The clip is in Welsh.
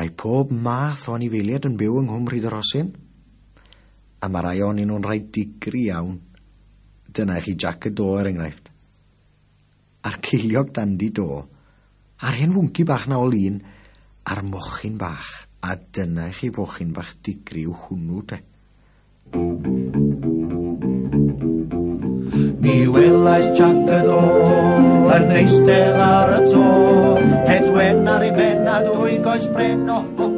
Mae pob math o anifeiliaid yn byw yng Nghwm Rhyd-y-rhosyn. A mae rai ohonyn nhw'n rhai digri iawn. Dyna i chi Jac y Do er enghraifft. A'r ceiliog dandi do. A'r hen fwnci bach na o lun. A'r mochyn bach. A dyna i chi fochyn bach digri yw hwnnw te. Mi welais Jac y Do yn eistedd ar y to, het wen ar ei ben a dwy goes bren, o ho